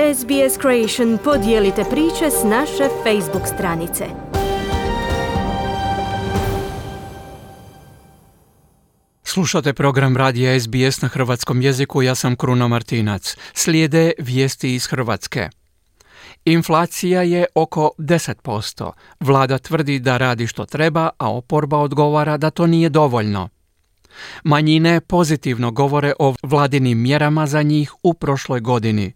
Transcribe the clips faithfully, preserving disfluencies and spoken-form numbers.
S B S Creation podijelite priče s naše Facebook stranice. Slušate program radija S B S na hrvatskom jeziku, ja sam Kruno Martinac. Slijede vijesti iz Hrvatske. Inflacija je oko deset posto. Vlada tvrdi da radi što treba, a oporba odgovara da to nije dovoljno. Manjine pozitivno govore o vladinim mjerama za njih u prošloj godini.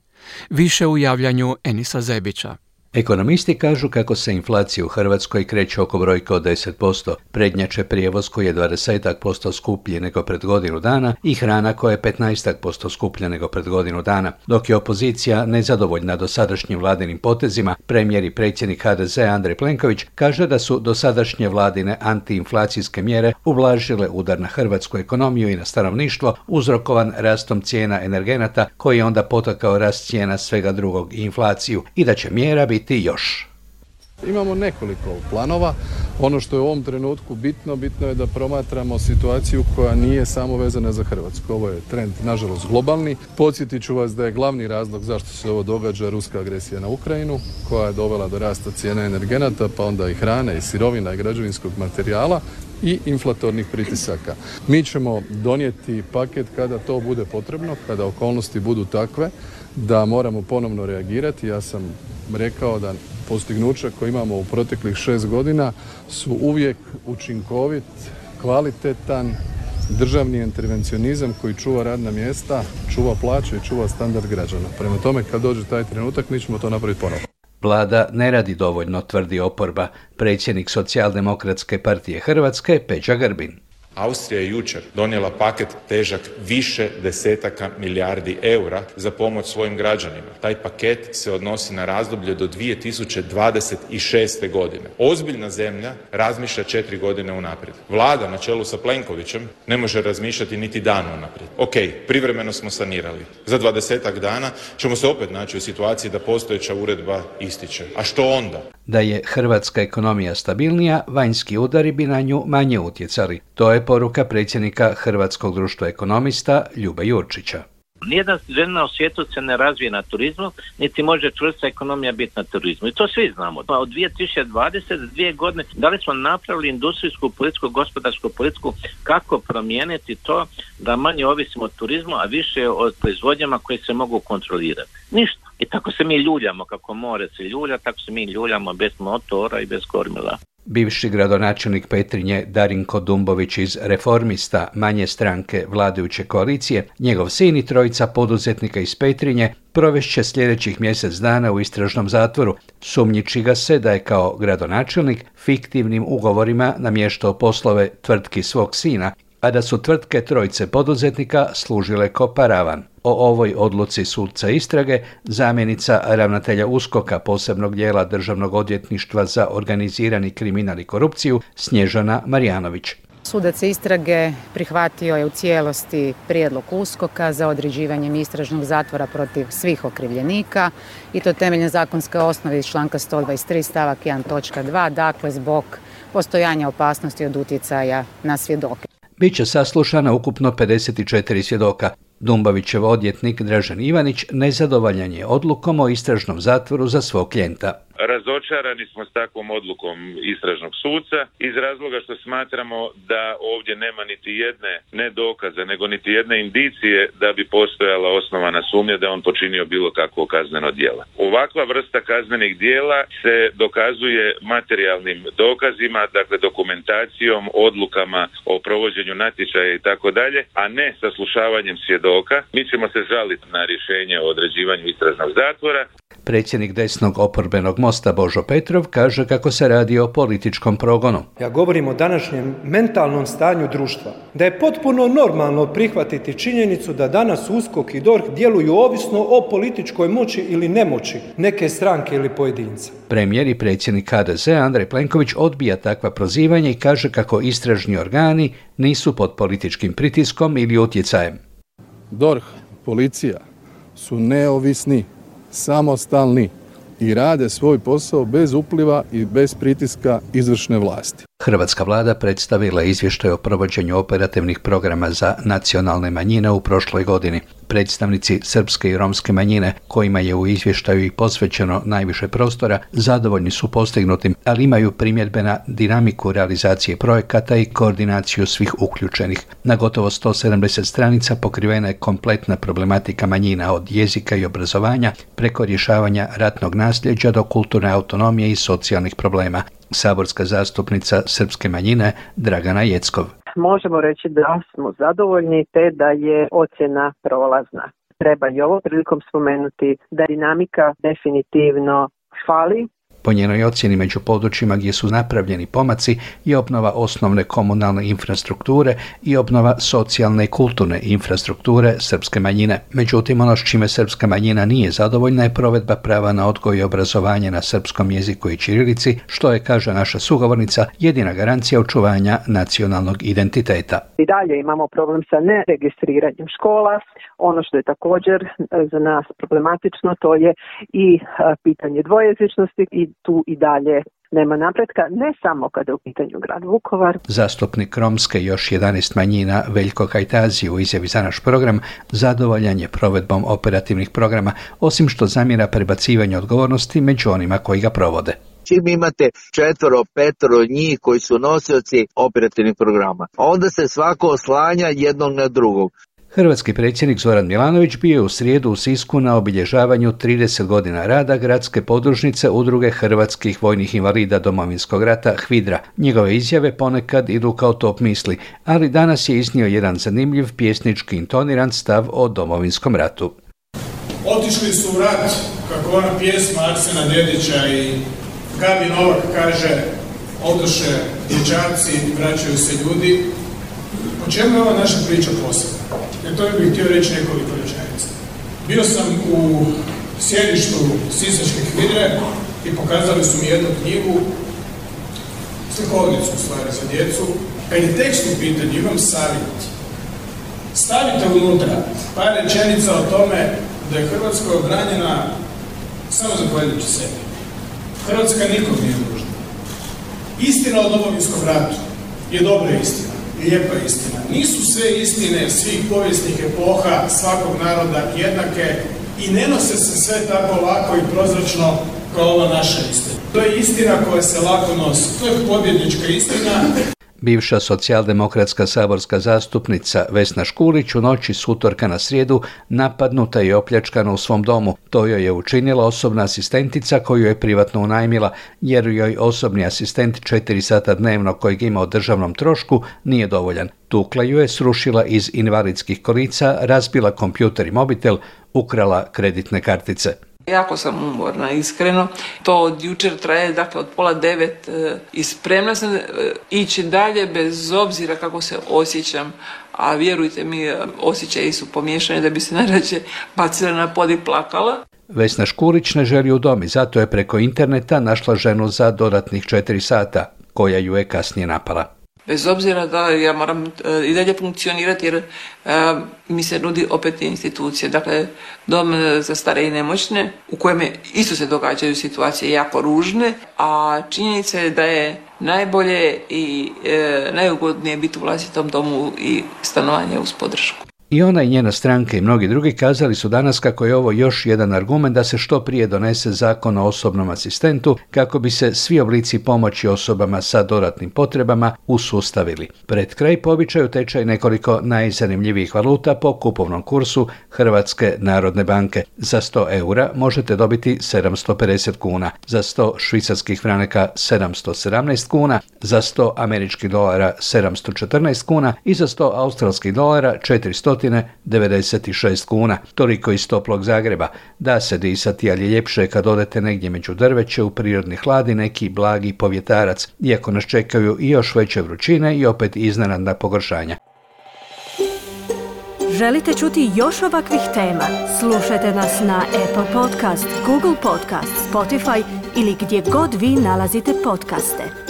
Više u javljanju Enisa Zebića. Ekonomisti kažu kako se inflacija u Hrvatskoj kreće oko brojke od deset posto, prednjače prijevoz koji je dvadeset posto skuplji nego pred godinu dana i hrana koja je petnaest posto skuplja nego pred godinu dana. Dok je opozicija nezadovoljna dosadašnjim vladinim potezima, premijer i predsjednik H D Z Andrej Plenković kaže da su dosadašnje vladine antiinflacijske mjere ublažile udar na hrvatsku ekonomiju i na stanovništvo uzrokovan rastom cijena energenata koji je onda potakao rast cijena svega drugog i inflaciju i da će mjera biti još. Imamo nekoliko planova. Ono što je u ovom trenutku bitno, bitno je da promatramo situaciju koja nije samo vezana za Hrvatsku. Ovo je trend, nažalost, globalni. Podsjetit ću vas da je glavni razlog zašto se ovo događa ruska agresija na Ukrajinu, koja je dovela do rasta cijena energenata, pa onda i hrane, i sirovina, i građevinskog materijala i inflatornih pritisaka. Mi ćemo donijeti paket kada to bude potrebno, kada okolnosti budu takve da moramo ponovno reagirati. Ja sam rekao da postignuća koje imamo u proteklih šest godina su uvijek učinkovit, kvalitetan državni intervencionizam koji čuva radna mjesta, čuva plaće i čuva standard građana. Prema tome, kad dođe taj trenutak, mi ćemo to napraviti ponovno. Vlada ne radi dovoljno, tvrdi oporba. Predsjednik Socijaldemokratske partije Hrvatske, Peđa Grbin. Austrija je jučer donijela paket težak više desetaka milijardi eura za pomoć svojim građanima. Taj paket se odnosi na razdoblje do dvije tisuće dvadeset šeste. godine. Ozbiljna zemlja razmišlja četiri godine unaprijed. Vlada na čelu sa Plenkovićem ne može razmišljati niti dan unaprijed. Ok, privremeno smo sanirali. Za dvadesetak dana ćemo se opet naći u situaciji da postojeća uredba ističe. A što onda? Da je hrvatska ekonomija stabilnija, vanjski udari bi na nju manje utjecali. To je poruka predsjednika Hrvatskog društva ekonomista Ljube Jurčića. Nijedna zemlja u svijetu se ne razvije na turizmu, niti može čvrsta ekonomija biti na turizmu. I to svi znamo. Pa od dvije tisuće dvadesete dvije godine da li smo napravili industrijsku, političku, gospodarsku politiku kako promijeniti to da manje ovisimo od turizmu, a više od proizvodnjama koje se mogu kontrolirati. Ništa. I tako se mi ljuljamo, kako more se ljulja, tako se mi ljuljamo bez motora i bez kormila. Bivši gradonačelnik Petrinje Darinko Dumbović iz Reformista, manje stranke vladajuće koalicije, njegov sin i trojica poduzetnika iz Petrinje provešće sljedećih mjesec dana u istražnom zatvoru, sumnjiči ga se da je kao gradonačelnik fiktivnim ugovorima namještao poslove tvrtki svog sina, a da su tvrtke trojice poduzetnika služile kao paravan. O ovoj odluci sudca istrage zamjenica ravnatelja USKOK-a posebnog dijela Državnog odvjetništva za organizirani kriminal i korupciju Snježana Marjanović. Sudac istrage prihvatio je u cijelosti prijedlog USKOK-a za određivanjem istražnog zatvora protiv svih okrivljenika i to temeljem zakonske osnove iz članka sto dvadeset tri stavak jedan točka dva, dakle zbog postojanja opasnosti od utjecaja na svjedoke. Biće saslušana ukupno pedeset četiri svjedoka. Dumbovićev odvjetnik Dražen Ivanić nezadovoljan je odlukom o istražnom zatvoru za svog klijenta. Razočarani smo s takvom odlukom istražnog suca iz razloga što smatramo da ovdje nema niti jedne ne dokaze, nego niti jedne indicije da bi postojala osnovana sumnja da on počinio bilo kakvo kazneno djelo. Ovakva vrsta kaznenih djela se dokazuje materijalnim dokazima, dakle dokumentacijom, odlukama o provođenju natječaja i tako dalje, a ne saslušavanjem svjedoka. Mi ćemo se žaliti na rješenje o određivanju istražnog zatvora. Predsjednik desnog oporbenog Mosta Božo Petrov kaže kako se radi o političkom progonu. Ja govorim o današnjem mentalnom stanju društva. Da je potpuno normalno prihvatiti činjenicu da danas USKOK i DORH djeluju ovisno o političkoj moći ili nemoći neke stranke ili pojedinca. Premijer i predsjednik H D Z Andrej Plenković odbija takva prozivanja i kaže kako istražni organi nisu pod političkim pritiskom ili utjecajem. DORH, policija su neovisni, samostalni i rade svoj posao bez upliva i bez pritiska izvršne vlasti. Hrvatska vlada predstavila izvještaj o provođenju operativnih programa za nacionalne manjine u prošloj godini. Predstavnici srpske i romske manjine, kojima je u izvještaju i posvećeno najviše prostora, zadovoljni su postignutim, ali imaju primjedbe na dinamiku realizacije projekata i koordinaciju svih uključenih. Na gotovo sto sedamdeset stranica pokrivena je kompletna problematika manjina, od jezika i obrazovanja preko rješavanja ratnog nasljeđa do kulturne autonomije i socijalnih problema. Saborska zastupnica srpske manjine Dragana Jeckov. Možemo reći da smo zadovoljni te da je ocjena prolazna. Treba i ovo prilikom spomenuti da dinamika definitivno fali. Po njenoj ocjeni među područjima gdje su napravljeni pomaci je obnova osnovne komunalne infrastrukture i obnova socijalne i kulturne infrastrukture srpske manjine. Međutim, ono s čime srpska manjina nije zadovoljna je provedba prava na odgoj i obrazovanje na srpskom jeziku i ćirilici, što je, kaže naša sugovornica, jedina garancija očuvanja nacionalnog identiteta. I dalje imamo problem sa neregistriranjem škola. Ono što je također za nas problematično, to je i pitanje dvojezičnosti i tu i dalje nema napretka, ne samo kada je u pitanju grad Vukovar. Zastupnik romske i još jedanaest manjina Veljko Kajtazi u izjavi za naš program zadovoljan je provedbom operativnih programa, osim što zamjera prebacivanje odgovornosti među onima koji ga provode. Čim imate četvoro, petoro njih koji su nosioci operativnih programa, onda se svako oslanja jednog na drugog. Hrvatski predsjednik Zoran Milanović bio je u srijedu u Sisku na obilježavanju trideset godina rada gradske podružnice Udruge hrvatskih vojnih invalida Domovinskog rata HVIDRA. Njegove izjave ponekad idu kao top misli, ali danas je iznio jedan zanimljiv pjesnički intoniran stav o Domovinskom ratu. Otišli su u rat, kako ona pjesma Arsena Dedića i Gabi Novak kaže, odoše dječaci, vraćaju se ljudi. O čemu je ova naša priča posebna? Jer to bih htio reći nekoliko rečenica. Bio sam u sjedištu sisačke HVIDRE i pokazali su mi jednu knjigu, slikovnicu u stvari za djecu. Kad je tekst u pitanju, imam savjet. Stavite unutra par rečenica o tome da je Hrvatska obranjena samo zahvaljujući sebi. Hrvatska nikom nije nužna. Istina o Domovinskom ratu je dobra istina. Lijepa istina. Nisu sve istine svih povijesnih epoha, svakog naroda jednake i ne nose se sve tako lako i prozračno kao ova naša istina. To je istina koja se lako nosi. To je pobjednička istina. Bivša socijaldemokratska saborska zastupnica Vesna Škulić u noći s utorka na srijedu napadnuta i opljačkana u svom domu. To joj je učinila osobna asistentica koju je privatno unajmila, jer joj osobni asistent četiri sata dnevno kojeg ima o državnom trošku nije dovoljan. Tukla ju je, srušila iz invalidskih kolica, razbila kompjuter i mobitel, ukrala kreditne kartice. Jako sam umorna, iskreno. To od jučer traje, dakle od pola devet e, i spremna sam e, ići dalje bez obzira kako se osjećam. A vjerujte mi, osjećaji su pomiješani da bi se najrađe bacila na pod i plakala. Vesna Škulić ne želi u dom i zato je preko interneta našla ženu za dodatnih četiri sata, koja ju je kasnije napala. Bez obzira da ja moram uh, i dalje funkcionirati jer uh, mi se nudi opet institucije. Dakle, dom za stare i nemoćne u kojem isto se događaju situacije jako ružne, a činjenica je da je najbolje i uh, najugodnije biti u vlastitom domu i stanovanje uz podršku. I ona i njena stranka i mnogi drugi kazali su danas kako je ovo još jedan argument da se što prije donese zakon o osobnom asistentu kako bi se svi oblici pomoći osobama sa dodatnim potrebama usustavili. Pred kraj po običaju tečaj nekoliko najzanimljivijih valuta po kupovnom kursu Hrvatske narodne banke. Za sto eura možete dobiti sedamsto pedeset kuna, za sto švicarskih franaka sedamsto sedamnaest kuna, za sto američkih dolara sedamsto četrnaest kuna i za sto australskih dolara četiristo devedeset šest kuna. Toliko iz toplog Zagreba. Da se disati, ali je ljepše kad odete negdje među drveće u prirodni hlad i neki blagi povjetarac, iako nas čekaju i još veće vrućine i opet iznenadna pogoršanja. Želite čuti još ovakvih tema? Slušajte nas na Apple Podcast, Google Podcast, Spotify ili gdje god vi nalazite podcaste.